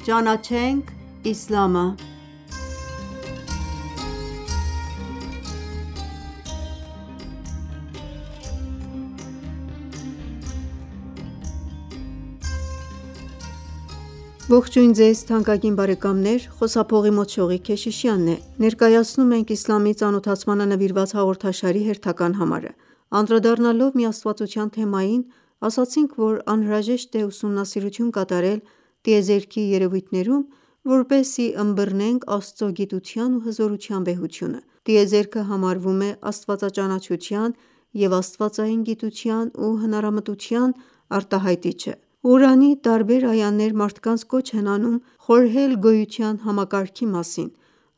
Ճանաչենք իսլամը Ողջույն ձեզ թանկագին բարեկամներ, խոսափողի մոտ Շողիկ Քեշիշյանն է: Ներկայացնում ենք իսլամի ծանոթացմանը նվիրված հաղորդաշարի հերթական համարը: Անդրադառնալով միաստվածության թեմային, ասացինք, որ անհրաժեշտ է ուսումնասիրություն կատարել տիեզերքի երևույթներում, որպեսզի ըմբռնենք Աստծո գիտության ու հզորության վեհությունը: Տիեզերքը համարվում է աստվածաճանաչության և աստվածային գիտության ու հնարամտության արտահայտիչը: Ղուրանի տարբեր այաներ մարդկանց կոչ են անում խորհել գոյության համակարգի մասին: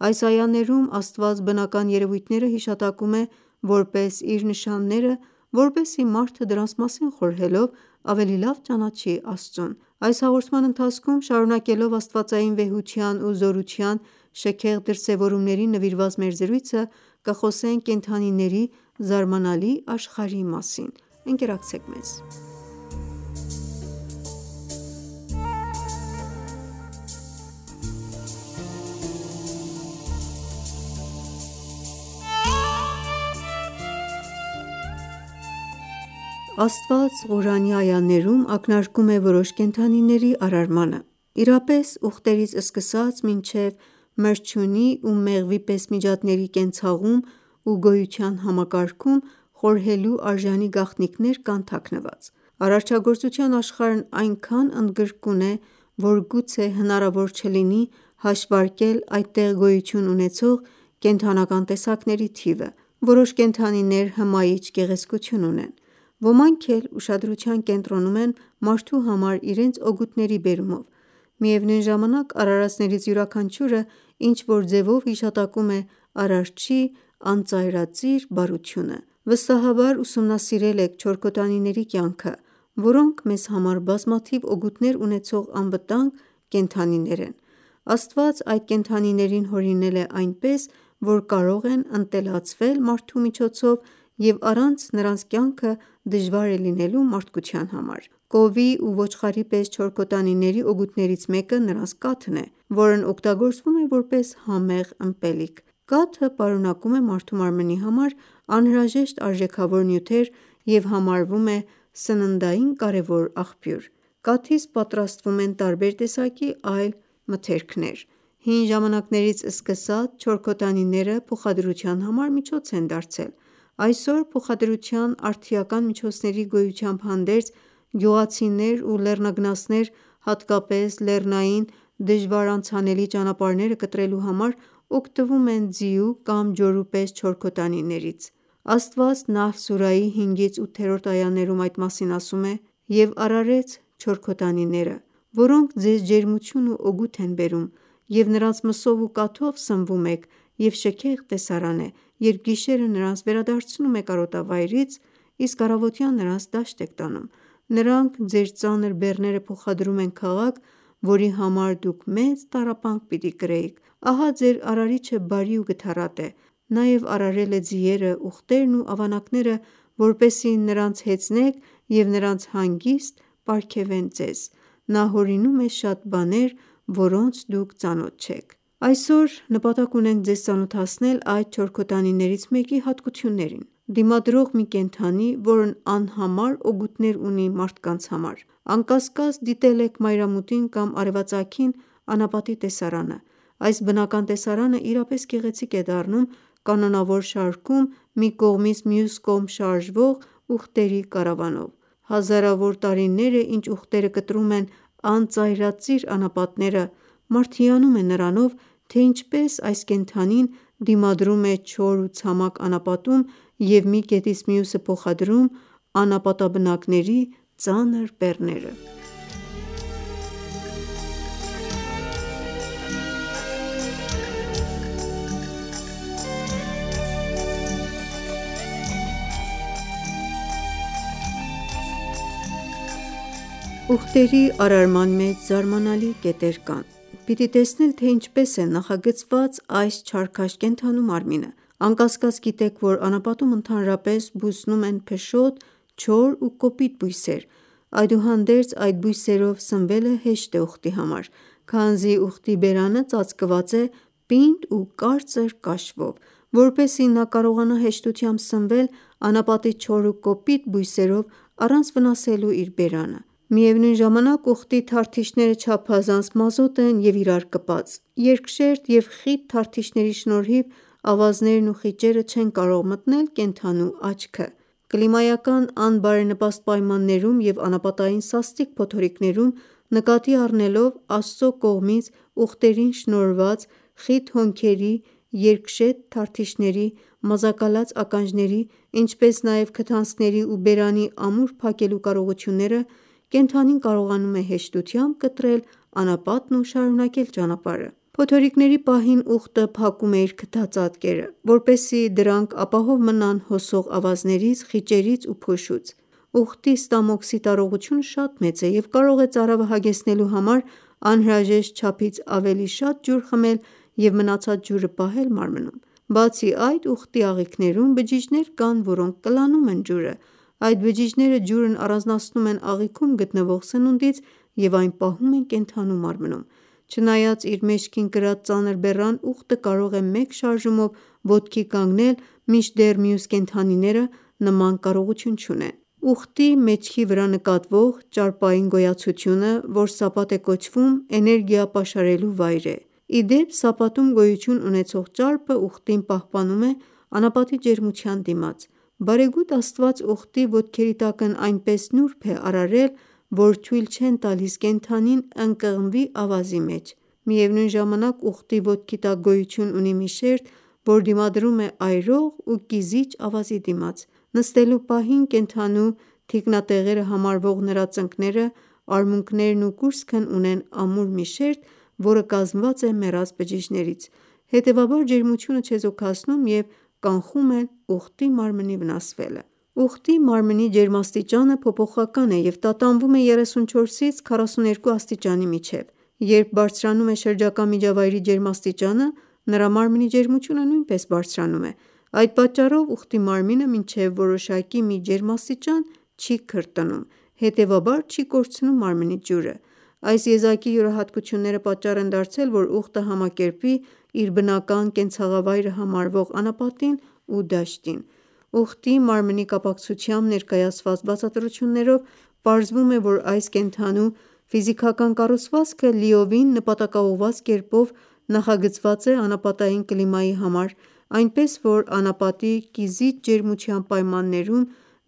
Այս այաներում Աստված բնական երևույթները հիշատակում է որպես իր նշանները, որպեսզի մարդը դրանց մասին խորհելով ավելի լավ ճանաչի Աստծուն: Այս հաղորդման ընթացքում շարունակելով աստվածային վեհության ու զորության շքեղ դրսևորումներին նվիրված մեր զրույցը, կխոսենք կենդանիների զարմանալի աշխարհի մասին: Ընկերակցեք մեզ: Աստված Ղուրանի այաներում ակնարկում է որոշ կենդանիների արարմանը: Իրապես ուղտերից սկսած մինչև մրջյունի ու մեղվի պես միջատների կենցաղում ու գոյության համակարգում խորհելու արժանի գաղտնիքներ կան թաքնված: Արարչագործության աշխարհն այնքան ընդգրկուն է, որ գուցե հնարավոր չլինի հաշվարկել այդտեղ գոյություն ունեցող կենդանական տեսակների թիվը: Որոշ կենդանիներ հմայիչ գեղեցկություն ունեն: Ոմանք էլ ուշադրության կենտրոնում են մարդու համար իրենց օգուտների բերումով: Միևնույն ժամանակ արարածներից յուրաքանչյուրը ինչ-որ ձևով հիշատակում է Արարչի անծայրածիր բարությունը: Վստահաբար ուսումնասիրել եք չորքոտանիների կյանքը, որոնք մեզ համար բազմաթիվ օգուտներ ունեցող անվտանգ կենդանիներ են: Աստված այդ կենդանիներին հորինել է այնպես, որ կարող են ընտելացվել մարդու միջոցով և առանց նրանց կյանքը դժվար է լինելու մարդկության համար: Կովի ու ոչխարի պես չորքոտանիների օգուտներից մեկը նրանց կաթն է, որն օգտագործվում է որպես համեղ ըմպելիք: Կաթը պարունակում է մարդու մարմնի համար անհրաժեշտ արժեքավոր նյութեր և համարվում է սննդային կարևոր աղբյուր: Կաթից պատրաստվում են տարբեր տեսակի այլ մթերքներ: Հին ժամանակներից սկսած չորքոտանիները փոխադրության համար միջոց են դարձել: Այսօր փոխադրության արդիական միջոցների գոյությամբ հանդերձ, գյուղացիներ ու լեռնագնացներ հատկապես լեռնային դժվար անցանելի ճանապարհները կտրելու համար օգտվում են ձիու կամ ջորու պես չորքոտանիներից: Աստված Նահլ սուրահի 5-8-րդ այաներում այդ մասին ասում է. «Եվ արարեց չորքոտանիները, որոնք ձեզ ջերմություն ու օգուտ են բերում, և նրանց մսով ու կաթով սնվում եք և շքեղ տեսարան է, երբ գիշերը նրանց վերադարձնում եք արոտավայրից, իսկ առավոտյան նրանց դաշտ եք տանում: Նրանք ձեր ծանր բեռները փոխադրում են քաղաք, որի համար դուք մեծ տառապանք պիտի կրեիք: Ահա ձեր Արարիչը բարի ու գթառատ է: Նաև արարել է ձիերը, ուղտերն ու ավանակները, որպեսզի նրանց հեծնեք և նրանց հանգիստ պարգևեն ձեզ: Նա հորինում է շատ բաներ, որոնց դուք ծանոթ չեք»: Այսօր նպատակ ունենք ձեզ ծանոթացնել այդ չորքոտանիներից մեկի հատկություններին: Դիմադրող մի կենդանի, որն անհամար օգուտներ ունի մարդկանց համար: Անկասկած դիտել եք մայրամուտին կամ արևածագին անապատի տեսարանը: Այս բնական տեսարանը իրապես գեղեցիկ է դառնում կանոնավոր շարքում մի կողմից մյուս կողմ շարժվող ուղտերի կարավանով: Հազարավոր տարիներ է ինչ ուղտերը կտրում են անծայրածիր անապատները: Մարդը հիանում է նրանով, թե ինչպես այս կենդանին դիմադրում է չոր ու ցամաք անապատում և մի կետից մյուսը փոխադրում անապատաբնակների ծանր բեռները: Ուղտերի արարման մեջ զարմանալի կետեր կան: Պիտի տեսնել թե ինչպես է նախագծված այս չարքաշ կենդանու մարմինը: Անկասկած գիտեք, որ անապատում ընդհանրապես բուսնում են փշոտ, չոր ու կոպիտ բույսեր: Այդուհանդերձ այդ բույսերով սնվելը հեշտ է ուղտի համար: քանզի ուղտի բերանը ծածկված է պինդ ու կարծր կաշվով, որպեսզի նա կարողանա հեշտությամբ սնվել անապատի չոր ու կոպիտ բույսերով առանց վնասելու իր բերանը: Միևնույն ժամանակ ուղտի թարթիչները չափազանց մազոտ են և իրար կպած: Երկշերտ և խիտ թարթիչների շնորհիվ ավազներն ու խիճերը չեն կարող մտնել կենդանու աչքը: Կլիմայական անբարենպաստ պայմաններում և անապատային սաստիկ փոթորիկներում նկատի առնելով Աստծո կողմից ուղտերին շնորհված խիտ հոնքերի, երկշետ թարթիչների, մազակալած ականջների, ինչպես նաև քթանցքների ու բերանի ամուր փակելու կարողությունները, կենդանին կարողանում է հեշտությամբ կտրել անապատն ու շարունակել ճանապարհը: Փոթորիկների պահին ուղտը փակում է իր քթածածկերը, որպեսզի դրանք ապահով մնան հոսող ավազներից, խիճերից ու փոշուց: Ուղտի ստամոքսի տարողությունը շատ մեծ է և կարող է ծարավը հագեցնելու համար անհրաժեշտ չափից ավելի շատ ջուր խմել և մնացած ջուրը պահել մարմնում: Բացի այդ, ուղտի աղիքներում բջիջներ կան, որոնք կլանում են ջուրը: Այդ բջիջները ջուրն առանձնացնում են աղիքում գտնվող սնունդից և այն պահում են կենդանու մարմնում: Չնայած իր մեջքին կրած ծանր բեռան, ուղտը կարող է մեկ շարժումով ոտքի կանգնել, մինչդեռ մյուս կենդանիները նման կարողություն չունեն: Ուղտի մեջքի վրա նկատվող ճարպային գոյացությունը, որ սապատ է կոչվում, էներգիա պաշարելու վայր է: Ի դեպ, սապատում գոյություն ունեցող ճարպը ուղտին պահպանում է անապատի ջերմության դիմաց: Բարեգութ Աստված ուղտի ոտքերի տակն այնպես նուրբ է արարել, որ թույլ չեն տալիս կենդանին ընկղմվի ավազի մեջ: Միևնույն ժամանակ ուղտի ոտքի տակ գոյություն ունի մի շերտ, որ դիմադրում է այրող ու կիզիչ ավազի դիմաց: Նստելու պահին կենդանու թիկնատեղերը համարվող նրա ծնկները, արմունկներն ու կուրծքն ունեն ամուր մի շերտ, որը կազմված է մեռած բջիջներից: Հետևաբար ջերմությունը չեզոքացնում և կանխում են ուղտի մարմնի վնասվելը: Ուղտի մարմնի ջերմաստիճանը փոփոխական է և տատանվում է 34-ից 42 աստիճանի միջև: Երբ բարձրանում է շրջակա միջավայրի ջերմաստիճանը, նրա մարմնի ջերմությունը նույնպես բարձրանում է: Այդ պատճառով ուղտի մարմինը մինչև որոշակի մի ջերմաստիճան չի քրտնում, հետևաբար չի կորցնում մարմնից ջուրը: Այս եզակի յուրահատկությունները պատճառ են դարձել, որ ուղտը համակերպվի իր բնական կենցաղավայրը համարվող անապատին ու դաշտին: Ուղտի մարմնի կապակցությամբ ներկայացված բացատրություններով պարզվում է, որ այս կենդանու ֆիզիկական կառուցվածքը լիովին նպատակաուղղված կերպով նախագծված է անապատային կլիմայի համար, այնպես որ անապատի կիզիչ ջերմության պայմաններում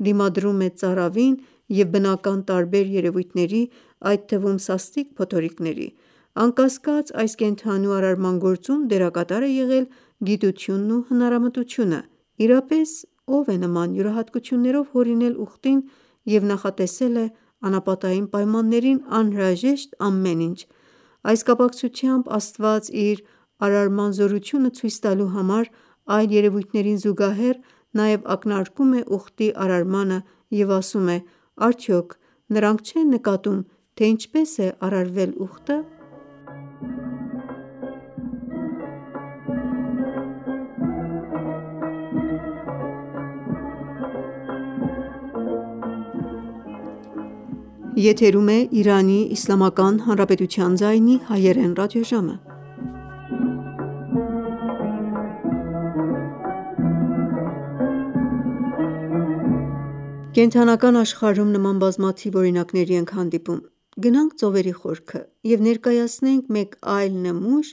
դիմադրում է ծարավին և բնական տարբեր երևույթների, այդ թվում սաստիկ փոթորիկների: Անկասկած, այս կենդանու արարման գործում դերակատար է եղել գիտությունն ու հնարամտությունը: Իրապես ո՞վ է նման յուրահատկություններով հորինել ուղտին և նախատեսել է անապատային պայմաններին անհրաժեշտ ամեն ինչ: Այս կապակցությամբ Աստված իր արարման զորությունը ցույց տալու համար այլ երևույթներին զուգահեռ նաև ակնարկում է ուղտի արարմանը և ասում է. Արդյոք նրանք չեն նկատում, թե ինչպես է արարվել ուղտը: Կենդանական աշխարհում նման բազմաթիվ օրինակների ենք հանդիպում: Գնանք ծովերի խորքը և ներկայացնենք մեկ այլ նմուշ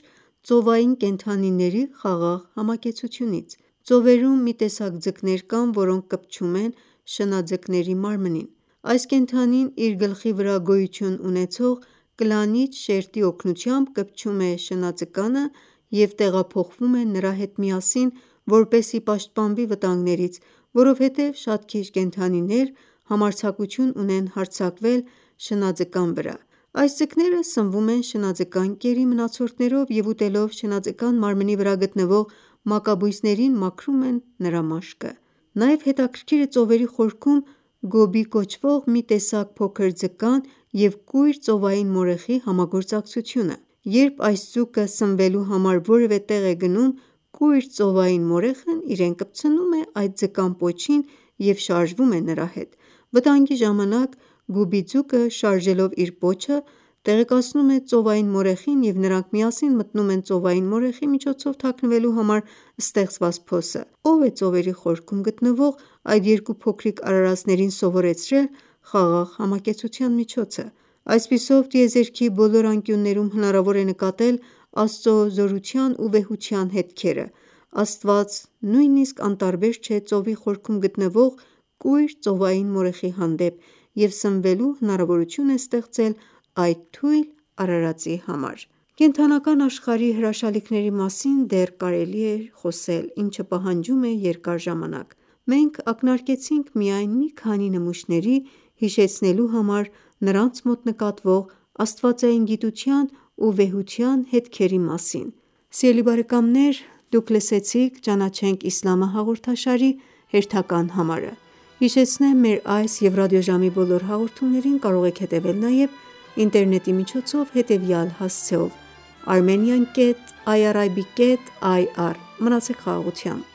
ծովային կենդանիների խաղաղ համակեցությունից: Ծովերում մի տեսակ ձկներ կան, որոնք կպչում են շնաձկների մարմնին: Այս կենդանին իր գլխի վրա գոյություն ունեցող կլանիչ շերտի օգնությամբ կպչում է շնաձկանը և տեղափոխվում է նրա հետ միասին, որպեսզի պաշտպանվի վտանգներից, որովհետև շատ քիչ կենդանիներ համարձակություն ունեն հարձակվել շնաձկան վրա: Այս ձկները սնվում են շնաձկան կերի մնացորդներով և ուտելով շնաձկան մարմնի վրա գտնվող մակաբույծներին մաքրում են նրա մաշկը: Նաև հետաքրքիր է ծովերի խորքում գոբի կոչվող մի տեսակ փոքր ձկան և կույր ծովային մորեխի համագործակցությունը: Երբ այս ձուկը սնվելու համար որևէ տեղ է գնում, կույր ծովային մորեխն իրեն կպցնում է այդ ձկան պոչին և շարժվում է նրա հետ: Վտանգի ժամանակ գուբի ձուկը շարժելով իր պոչը տեղեկացնում է ծովային մորեխին և նրանք միասին մտնում են ծովային մորեխի միջոցով թաքնվելու համար ստեղծված փոսը։ Ով է ծովերի խորքում գտնվող այդ երկու փոքրիկ արարածներին սովորեցրել խաղաղ համակեցության միջոցը։ Այսպիսով, տիեզերքի բոլոր անկյուններում հնարավոր է նկատել Աստծո զորության ու վեհության հետքերը։ Աստված նույնիսկ անտարբեր չէ ծովի խորքում գտնվող կույր ծովային մորեխի հանդեպ և սնվելու հնարավորություն է ստեղծել այդ թույլ արարածի համար։ Կենդանական աշխարհի հրաշալիքների մասին դեռ կարելի է խոսել, ինչը պահանջում է երկար ժամանակ։ Մենք ակնարկեցինք միայն մի քանի նմուշների՝ հիշեցնելու համար նրանց մոտ նկատվող աստվածային գիտության ու վեհության հետքերի մասին։ Սիրելի բարեկամներ դուք լսեցիք «Ճանաչենք իսլամը» հաղորդաշարի հերթական համարը։ Հիշեցնեմ մեր այս և ռադիոժամի բոլոր հաղորդումներին կարող եք հետևել նաև ինտերնետի միջոցով հետևյալ հասցեով՝ armenian.irib.ir Մնացեք խաղաղությամբ։